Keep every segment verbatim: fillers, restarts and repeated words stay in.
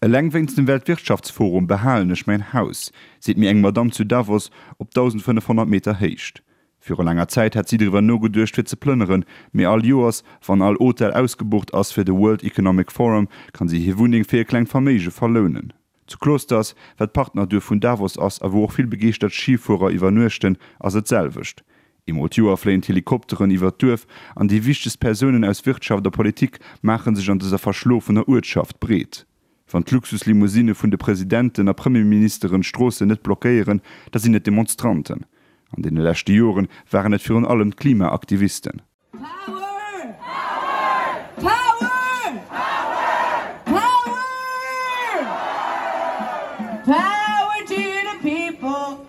Eleng wéinst dem Weltwirtschaftsforum behalen ech mäin Haus, seet mir eng Madamm zu Davos op dausendfënnefhonnert Meter Héicht. Viru laanger Zäit hat si driwwer nogeduecht fir ze plënneren, mee all Joers, wann all Hotel ausgebucht ass fir de World Economic Forum, kann si hir Wunneng fir e klengt Verméige verlounen. Zu Klosters, wat d'Partnerduerf vun Davos ass a wou och vill begeeschtert Schifuerer iwwernuechten, ass et d'selwecht. Eemol d'Joer fléien d'Helikopteren iwwer d'Duerf an déi wichtegst Persounen aus Wirtschaft a Politik maache sech an dëser verschlofener Uertschaft breet. Wann d'Luxuslimousine vun de Presidenten a Premierministeren d'Stroossen net blockéieren, da sinn et Demonstranten. An deene leschte Joren waren et virun allem d'Klimaaktivisten. Power! Power! Power! Power to the people!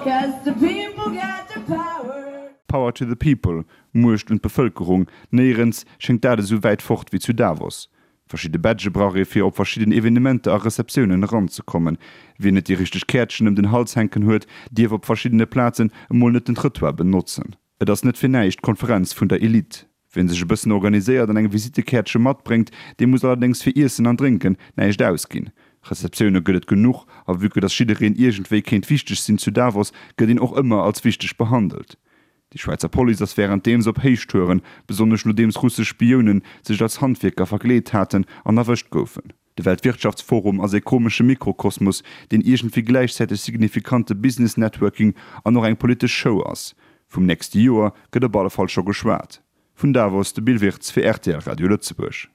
'Cause the people got the power. Power to the people, Muecht un d'Bevëlkerung, néierens schéngt dat esou wäit fort wéi zu Davos. Verschidde Badgë brauch ee fir op verschidden Evenementer a Receptiounen eranzekommen. Wien net déi richteg Käertchen ëm den Hals hänken huet, dierf op verschiddene Plazen emol net den Trëttoir benotzen. Et ass net fir näischt d'Konferenz vun der Elite. Wien sech e bëssen organiséiert an eng Visittekäertche matbréngt, dee muss allerdéngs fir Iessen an Drénken näischt ausginn. Receptioune gëtt et genuch a vue que dass jiddereen iergendwéi kéint wichteg sinn zu Davos, gëtt een och ëmmer als wichteg behandelt. Déi Schwäizer Police ass wärenddeems op Héichtouren, besonnesch nodeems russesch Spiounen sech als Handwierker verkleet haten an erwëscht goufen. De Weltwirtschaftsforum ass e komesche Mikrokosmos, deen iergendwéi gläichzäiteg signifikante Business-Networking an och eng politesch Show ass. Vum nächste Joer gëtt op alle Fall scho geschwat. Vun Davos de Bill Wirtz fir R T L Radio Lëtzebuerg.